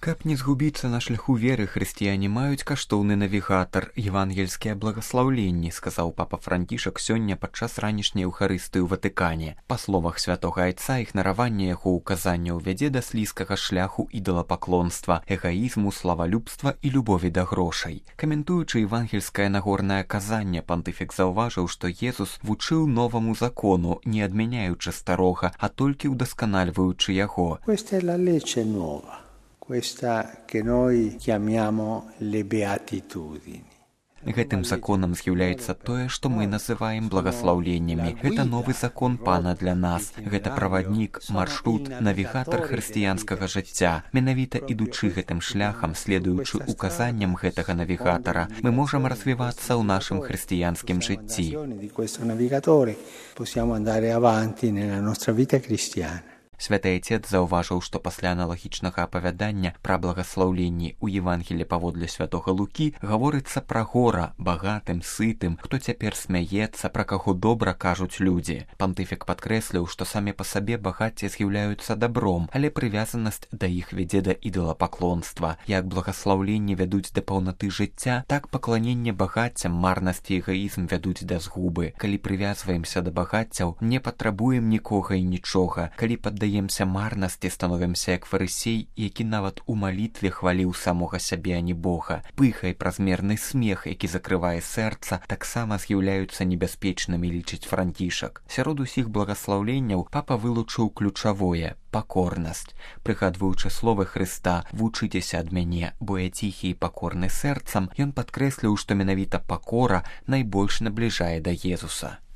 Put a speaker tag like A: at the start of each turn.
A: Каб не згубіцца на шляху веры, хрысціяне маюць каштоўны навігатар, евангельскія благаслаўленні, сказаў папа Францішак сёння падчас ранішняй эўхарыстыі ў Ватыкане. Па словах святога айца, ігнараванне яго указанняў вядзе да слізкага шляху ідалапаклонства, эгаізму, славалюбства і любові да грошай. Каментуючы евангельскае нагорнае казанне, пантыфік заўважыў, што Езус вучыў новаму закону, не адмяняючы старога, а толькі ўдасканальваючы яго.
B: Questa che noi chiamiamo le beatitudini.
A: Гэтым законам з'яўляецца тое, што мы называем благаслаўленнямі. Гэта новы закон Пана для нас. Гэта праваднік, маршрут, навігатар хрысціянскага жыцця. Менавіта ідучы гэтым шляхам, следуючы указанням гэтага навігатара, мы можам развівацца ў нашым хрысціянскім жыцці. Святы Айцец заўважыў, што пасля аналагічнага апавядання пра благаслаўленні ў Евангелі паводле святога Лукі гаворыцца пра гора, багатым, сытым, хто цяпер смяецца, пра каго добра кажуць людзі. Пантыфік падкрэсліў, што самі па сабе багацці з'яўляюцца дабром, але прывязанасць да іх вядзе да ідалапаклонства. Як благаслаўленні вядуць да паўнаты жыцця, так пакланенне багаццям, марнасці і эгаізм вядуць да згубы. Калі прывязваемся да багаццяў, не патрабуем нікога і нічога. Калі паддаемся марнасці, становімся як фарысей, які нават у малітве хваліў самога сябе, а не Бога. Пыха і празмерны смех, які закрывае сэрца, таксама з'яўляюцца небяспечнымі, лічыць Францішак. Сярод усіх благаслаўленняў папа вылучыў ключавое – пакорнасць. Прыгадваючы словы Хрыста «Вучыцеся ад мяне, бо я ціхі і пакорны сэрцам», ён падкрэсліў, што менавіта пакора найбольш набліжае да Езуса.